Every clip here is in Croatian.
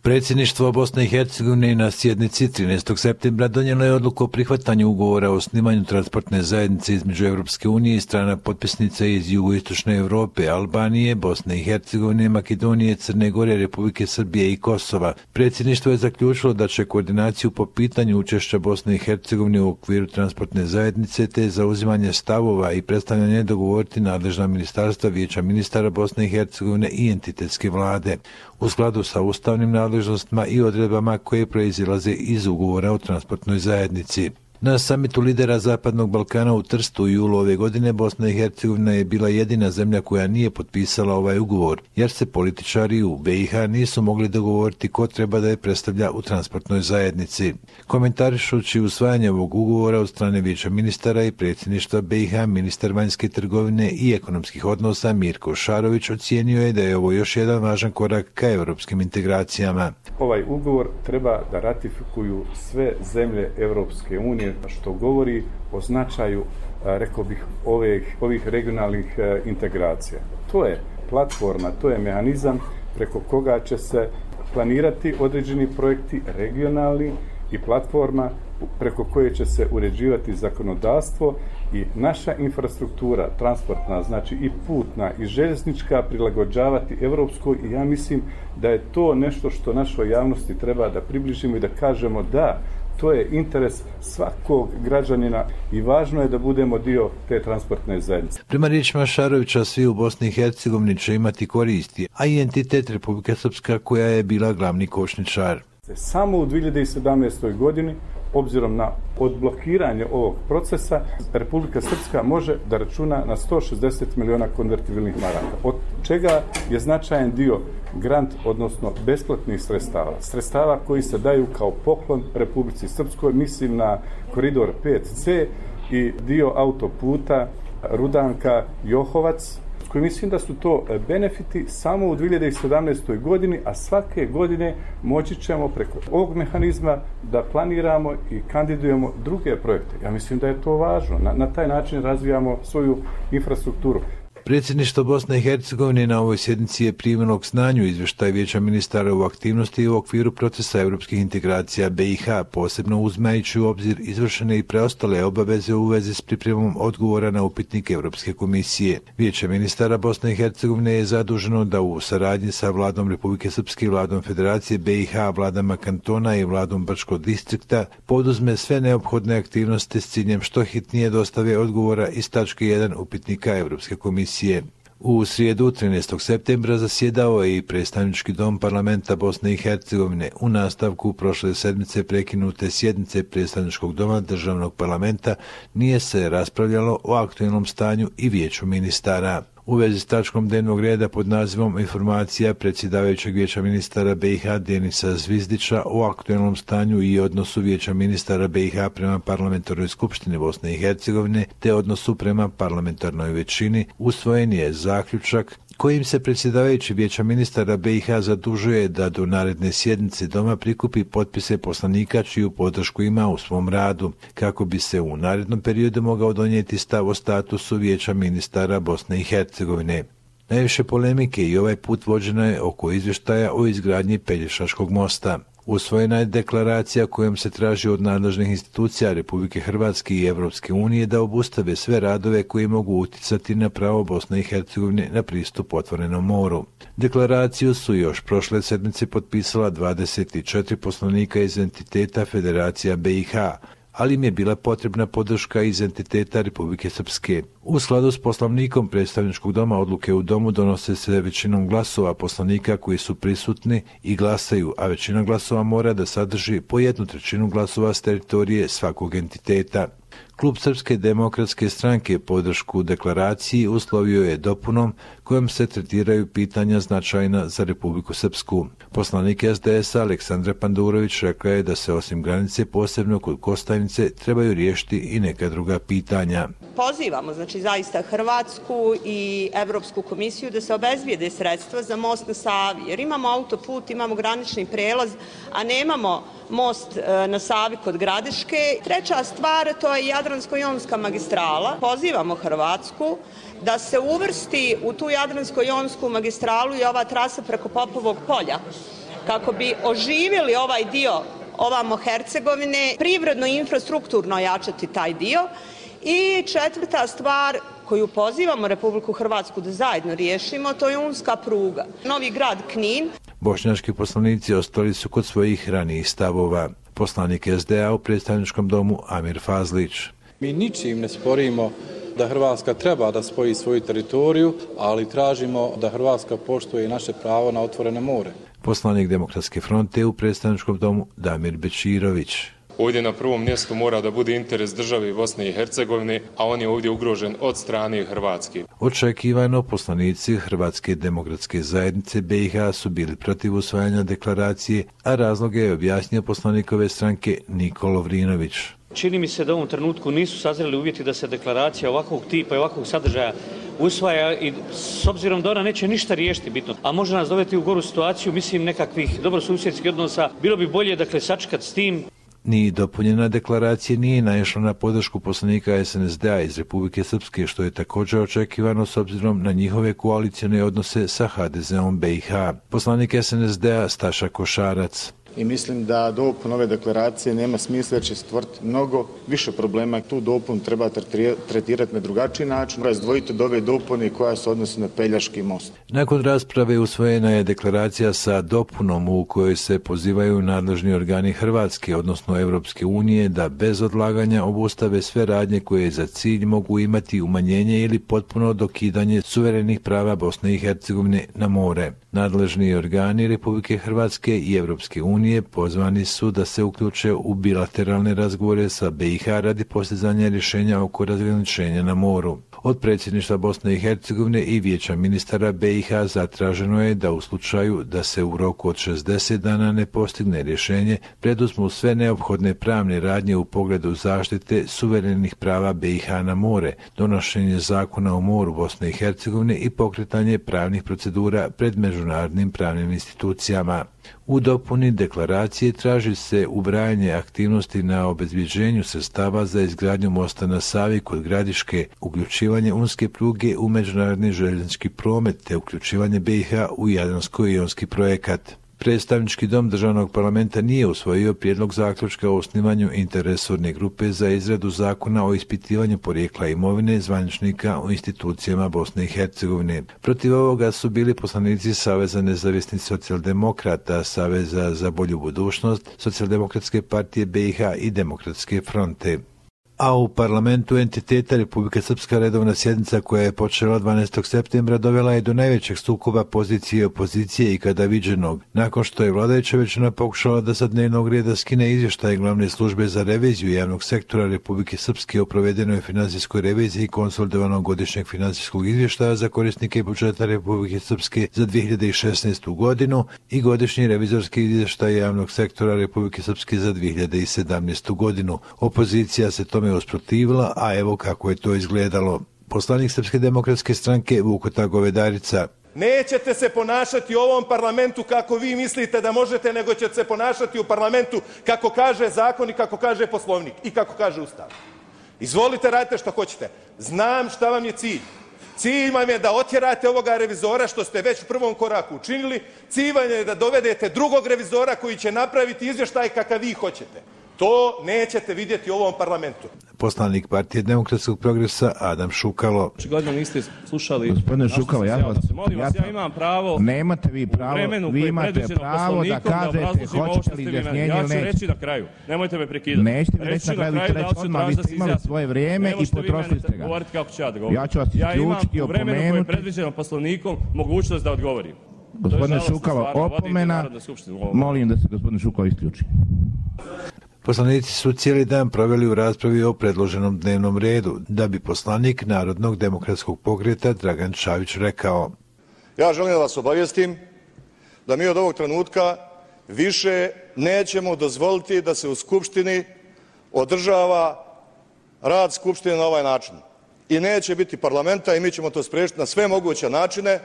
Predsjedništvo Bosne i Hercegovine na sjednici 13. septembra donijelo je odluku o prihvatanju ugovora o osnivanju transportne zajednice između Europske unije i strana potpisnica iz jugoistočne Europe, Albanije, Bosne i Hercegovine, Makedonije, Crne Gore, Republike Srbije i Kosova. Predsjedništvo je zaključilo da će koordinaciju po pitanju učešća Bosne i Hercegovine u okviru transportne zajednice te zauzimanje stavova i predstavljanje dogovoriti nadležna ministarstva, Vijeća ministara Bosne i Hercegovine i entitetske vlade, u skladu sa ustavnim nadležnostima i odredbama koje proizilaze iz ugovora o transportnoj zajednici. Na samitu lidera Zapadnog Balkana u Trstu u julu ove godine Bosna i Hercegovina je bila jedina zemlja koja nije potpisala ovaj ugovor, jer se političari u BiH nisu mogli dogovoriti ko treba da je predstavlja u transportnoj zajednici. Komentarišući usvajanje ovog ugovora od strane Vijeća ministara i predsjedništva BiH, ministar vanjske trgovine i ekonomskih odnosa Mirko Šarović ocijenio je da je ovo još jedan važan korak ka europskim integracijama. Ovaj ugovor treba da ratifikuju sve zemlje Europske unije, što govori o značaju, rekao bih, ovih regionalnih integracija. To je platforma, to je mehanizam preko koga će se planirati određeni projekti regionalni i platforma preko koje će se uređivati zakonodavstvo i naša infrastruktura transportna, znači i putna i željeznička, prilagođavati europskoj, i ja mislim da je to nešto što našoj javnosti treba da približimo i da kažemo da to je interes svakog građanina i važno je da budemo dio te transportne zajednice. Prema riječima Šarovića, svi u Bosni i Hercegovini će imati koristi, a i entitet Republike Srpska koja je bila glavni kočničar. Samo u 2017. godini, obzirom na odblokiranje ovog procesa, Republika Srpska može da računa na 160 miliona konvertibilnih maraka, od čega je značajan dio grant, odnosno besplatnih sredstava koji se daju kao poklon Republici Srpskoj, mislim na koridor 5C i dio autoputa Rudanka-Johovac, koji mislim da su to benefiti samo u 2017. godini, a svake godine moći ćemo preko ovog mehanizma da planiramo i kandidujemo druge projekte. Ja mislim da je to važno. Na taj način razvijamo svoju infrastrukturu. Predsjedništvo Bosne i Hercegovine na ovoj sjednici je primilo k znanju izvještaj Vijeća ministara u aktivnosti u okviru procesa europskih integracija BiH, posebno uzimajući u obzir izvršene i preostale obaveze u vezi s pripremom odgovora na upitnik Europske komisije. Vijeće ministara Bosne i Hercegovine je zaduženo da u saradnji sa vladom Republike Srpske i vladom Federacije BiH, vladama kantona i vladom Brčkog distrikta poduzme sve neophodne aktivnosti s ciljem što hitnije dostave odgovora iz tačke 1 upitnika Europske komisije. U srijedu 13. septembra zasjedao je i predstavnički dom parlamenta Bosne i Hercegovine u nastavku prošle sedmice prekinute sjednice predstavničkog doma državnog parlamenta. Nije se raspravljalo o aktualnom stanju i vijeću ministara. U vezi s tačkom dnevnog reda pod nazivom Informacija predsjedavajućeg Vijeća ministara BiH Denisa Zvizdića o aktualnom stanju i odnosu Vijeća ministara BiH prema parlamentarnoj skupštini Bosne i Hercegovine te odnosu prema parlamentarnoj većini, usvojen je zaključak kojim se predsjedavajući Vijeća ministara BiH zadužuje da do naredne sjednice doma prikupi potpise poslanika čiju podršku ima u svom radu, kako bi se u narednom periodu mogao donijeti stav o statusu Vijeća ministara Bosne i Hercegovine. Najviše polemike i ovaj put vođena je oko izvještaja o izgradnji Pelješačkog mosta. Usvojena je deklaracija kojom se traži od nadležnih institucija Republike Hrvatske i Europske unije da obustave sve radove koji mogu uticati na pravo Bosne i Hercegovine na pristup otvorenom moru. Deklaraciju su još prošle sedmice potpisala 24 poslanika iz entiteta Federacija BiH, ali im je bila potrebna podrška iz entiteta Republike Srpske. U skladu s poslovnikom predstavničkog doma odluke u domu donose se većinom glasova poslanika koji su prisutni i glasaju, a većina glasova mora da sadrži po 1/3 glasova s teritorije svakog entiteta. Klub Srpske demokratske stranke podršku deklaraciji uslovio je dopunom kojom se tretiraju pitanja značajna za Republiku Srpsku. Poslanik SDS-a Aleksandra Pandurović rekla je da se osim granice, posebno kod Kostajnice, trebaju riješiti i neka druga pitanja. Pozivamo zaista Hrvatsku i Europsku komisiju da se obezbijede sredstva za most na Savi, jer imamo autoput, imamo granični prelaz, a nemamo most na Savi kod Gradiške. Treća stvar, to je Jadransko-jonska magistrala. Pozivamo Hrvatsku da se uvrsti u tu Jadransko-jonsku magistralu i ova trasa preko Popovog polja, kako bi oživjeli ovaj dio ovamo Hercegovine, privredno i infrastrukturno ojačati taj dio. I četvrta stvar koju pozivamo Republiku Hrvatsku da zajedno riješimo, to je unska pruga. Novi grad Knin. Bošnjački poslanici ostali su kod svojih ranijih stavova. Poslanik SDA u predstavničkom domu Amir Fazlić. Mi ničim ne sporimo da Hrvatska treba da spoji svoju teritoriju, ali tražimo da Hrvatska poštuje naše pravo na otvoreno more. Poslanik Demokratske fronte u predstavničkom domu Damir Bečirović. Ovdje na prvom mjestu mora da bude interes države Bosne i Hercegovine, a on je ovdje ugrožen od strane Hrvatske. Očekivano poslanici Hrvatske demokratske zajednice BiH su bili protiv usvajanja deklaracije, a razloge je objasnio poslanikove stranke Nikola Lovrinović. Čini mi se da u ovom trenutku nisu sazreli uvjeti da se deklaracija ovakvog tipa i ovakvog sadržaja usvaja i s obzirom da ona neće ništa riješiti bitno, a može nas dovesti u goru situaciju, mislim nekakvih dobrosusjedskih odnosa, bilo bi bolje sakčekati s tim. Ni dopunjena deklaracija nije naišla na podršku poslanika SNSD-a iz Republike Srpske, što je također očekivano s obzirom na njihove koalicione odnose sa HDZ-om BiH. Poslanik SNSD-a Staša Košarac. I mislim da dopun ove deklaracije nema smisla jer će stvoriti mnogo više problema. Tu dopun treba tretirati na drugačiji način, razdvojiti od ove dopune koja se odnosi na Pelješki most. Nakon rasprave usvojena je deklaracija sa dopunom u kojoj se pozivaju nadležni organi Hrvatske, odnosno Europske unije, da bez odlaganja obustave sve radnje koje za cilj mogu imati umanjenje ili potpuno dokidanje suverenih prava Bosne i Hercegovine na more. Nadležni organi Republike Hrvatske i Europske unije pozvani su da se uključe u bilateralne razgovore sa BiH radi postizanja rješenja oko razgraničenja na moru. Od predsjedništva Bosne i Hercegovine i Vijeća ministara BiH zatraženo je da u slučaju da se u roku od 60 dana ne postigne rješenje, preduzmu sve neophodne pravne radnje u pogledu zaštite suverenih prava BiH na more, donošenje zakona o moru Bosne i Hercegovine i pokretanje pravnih procedura pred međunarodnim pravnim institucijama. U dopuni deklaracije traži se ubrajanje aktivnosti na obezbjeđenju sredstava za izgradnju mosta na Savi kod Gradiške, uključivanje unske pruge u međunarodni željeznički promet te uključivanje BiH u Jadransko-jonski projekat. Predstavnički dom državnog parlamenta nije usvojio prijedlog zaključka o osnivanju interresorne grupe za izradu zakona o ispitivanju porijekla imovine zvaničnika u institucijama Bosne i Hercegovine. Protiv ovoga su bili poslanici Saveza nezavisnih socijaldemokrata, Saveza za bolju budućnost, Socijaldemokratske partije BiH i Demokratske fronte. A u parlamentu entiteta Republika Srpska redovna sjednica koja je počela 12. septembra dovela je do najvećeg sukoba pozicije i opozicije ikada viđenog, nakon što je vladajuća većina pokušala da sa dnevnog reda skine izvještaj glavne službe za reviziju javnog sektora Republike Srpske o provedenoj finansijskoj reviziji konsolidovanog godišnjeg finansijskog izvještaja za korisnike budžeta Republike Srpske za 2016. godinu i godišnji revizorski izvještaj javnog sektora Republike Srpske za 2017. godinu. Opozicija se tome usprotivila, a evo kako je to izgledalo. Poslanik Srpske demokratske stranke Vukota Govedarica. Nećete se ponašati u ovom parlamentu kako vi mislite da možete, nego ćete se ponašati u parlamentu kako kaže zakon i kako kaže Poslovnik i kako kaže Ustav. Izvolite, radite što hoćete. Znam šta vam je cilj. Cilj vam je da otjerate ovoga revizora, što ste već u prvom koraku učinili. Cilj vam je da dovedete drugog revizora koji će napraviti izvještaj kakav vi hoćete. To nećete vidjeti u ovom parlamentu. Poslanik Partije demokratskog progresa Adam Šukalo. Očigledno niste slušali. Gospodine Šukalo, ja imam pravo. Nemate vi pravo. Vi imate pravo da kažete hoćete li izjašnjenje ili neće. Ja ću reći na kraju. Nemojte me prekidati. Nećete mi reći na kraju, vi ćete reći odmah, vi ste imali svoje vrijeme i potrošili ste ga. Ja ću vas isključiti, opomenuti. Ja imam u vremenu koje je predviđeno Poslovnikom mogućnost da odgovorim. Gospodine Šukalo, opomena. Molim da se gospodin Šukalo isključi. Poslanici su cijeli dan proveli u raspravi o predloženom dnevnom redu, da bi poslanik Narodnog demokratskog pokreta Dragan Čavić rekao: Ja želim da vas obavijestim da mi od ovog trenutka više nećemo dozvoliti da se u Skupštini održava rad Skupštine na ovaj način. I neće biti parlamenta i mi ćemo to spriječiti na sve moguće načine,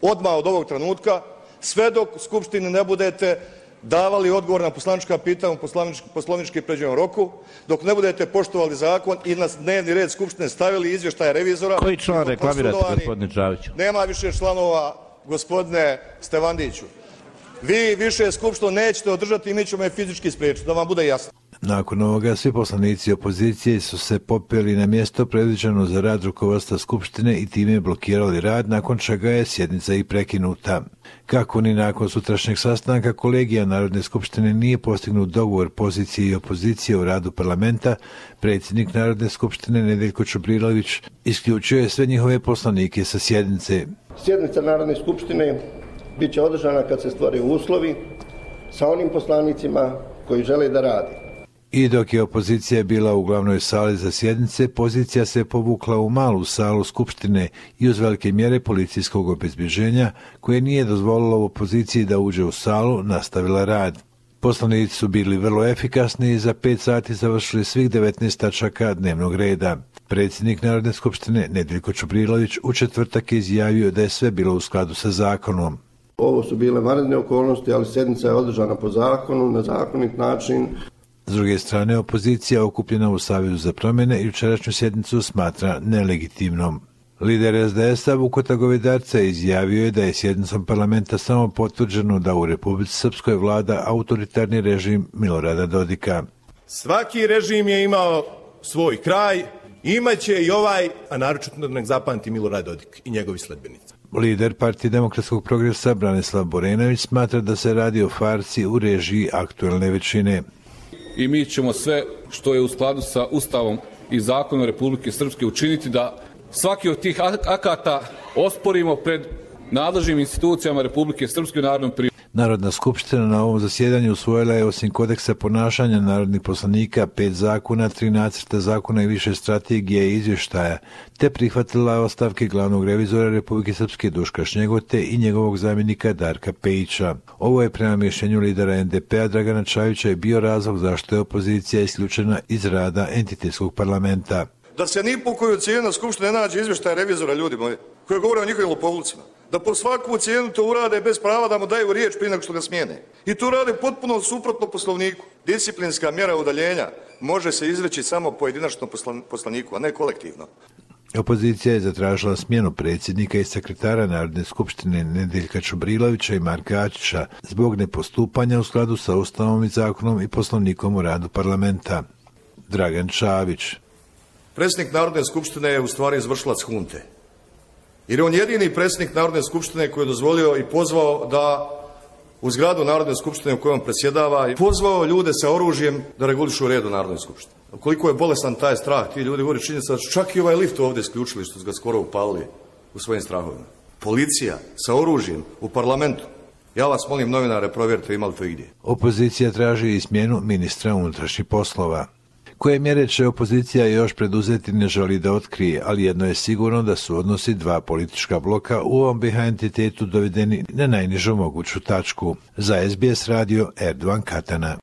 odmah od ovog trenutka, sve dok u Skupštini ne budete davali odgovor na poslanička pitanja u poslovnički predviđenom roku, dok ne budete poštovali zakon i na dnevni red Skupštine stavili izvještaje revizora. Koji član reklamirate, gospodine Čaviću? Nema više članova, gospodine Stevandiću. Vi više skupštinu nećete održati i mi ćemo je fizički spriječiti, da vam bude jasno. Nakon ovoga svi poslanici opozicije su se popeli na mjesto predviđeno za rad rukovodstva Skupštine i time blokirali rad, nakon čega je sjednica i prekinuta. Kako ni nakon sutrašnjeg sastanka kolegija Narodne skupštine nije postignut dogovor pozicije i opozicije u radu parlamenta, predsjednik Narodne skupštine Nedeljko Čubrilović isključio je sve njihove poslanike sa sjednice. Sjednica Narodne skupštine bit će održana kad se stvore uslovi sa onim poslanicima koji žele da radi. I dok je opozicija bila u glavnoj sali za sjednice, pozicija se povukla u malu salu Skupštine i uz velike mjere policijskog obezbjeđenja, koje nije dozvolilo opoziciji da uđe u salu, nastavila rad. Poslanici su bili vrlo efikasni i za 5 sati završili svih 19 tačaka dnevnog reda. Predsjednik Narodne skupštine Nedeljko Čubrilović u četvrtak je izjavio da je sve bilo u skladu sa zakonom. Ovo su bile vanredne okolnosti, ali sjednica je održana po zakonu, na zakonit način. S druge strane, opozicija okupljena u Savezu za promjene jučerašnju sjednicu smatra nelegitimnom. Lider SDS-a Vukota Govedarca izjavio je da je sjednicom parlamenta samo potvrđeno da u Republici Srpskoj vlada autoritarni režim Milorada Dodika. Svaki režim je imao svoj kraj, imaće i ovaj, a naročito nek zapamti Milorad Dodik i njegovi sledbenici. Lider Partije demokratskog progresa Branislav Borenović smatra da se radi o farsi u režiji aktuelne većine. I mi ćemo sve što je u skladu sa Ustavom i zakonom Republike Srpske učiniti da svaki od tih akata osporimo pred nadležnim institucijama Republike Srpske u narodnom prijevodu. Narodna skupština na ovom zasjedanju usvojila je osim kodeksa ponašanja narodnih poslanika 5 zakona, 3 nacrta zakona i više strategije i izvještaja, te prihvatila ostavke glavnog revizora Republike Srpske Duška Šnjegote i njegovog zamjenika Darka Pejića. Ovo je prema mišljenju lidera NDP-a Dragana Čavića i bio razlog zašto je opozicija isključena iz rada entitetskog parlamenta. Da se ni po koju cijenu skupštine ne nađe izvještaj revizora, ljudi moji, koji govore o njihovim lopovlucima. Da po svaku cijenu to urade bez prava da mu daju riječ prije nego što ga smijene. I to rade potpuno suprotno poslovniku. Disciplinska mjera udaljenja može se izreći samo pojedinačno poslaniku, a ne kolektivno. Opozicija je zatražila smjenu predsjednika i sekretara Narodne skupštine Nedeljka Čubrilovića i Marka Ačića zbog nepostupanja u skladu sa Ustavom i zakonom i poslovnikom o radu parlamenta. Dragan Čavić. Predsjednik Narodne skupštine je u stvari izvršilac hunte. Jer je on jedini predsjednik Narodne skupštine koji je dozvolio i pozvao da u zgradu Narodne skupštine u kojoj on predsjedava i pozvao ljude sa oružjem da regulišu red u Narodnoj skupštini. Koliko je bolestan taj strah, ti ljudi govore činjenica da su čak i ovaj lift ovdje isključili što su ga skoro upalili u svojim strahovima. Policija sa oružjem u parlamentu. Ja vas molim, novinare, provjerite ima li to igdje. Opozicija traži i smjenu ministra unutrašnjih poslova. Koje mjere će opozicija još preduzeti ne želi da otkrije, ali jedno je sigurno da su odnosi 2 politička bloka u ovom BiH entitetu dovedeni na najnižu moguću tačku. Za SBS radio Erdogan Katana.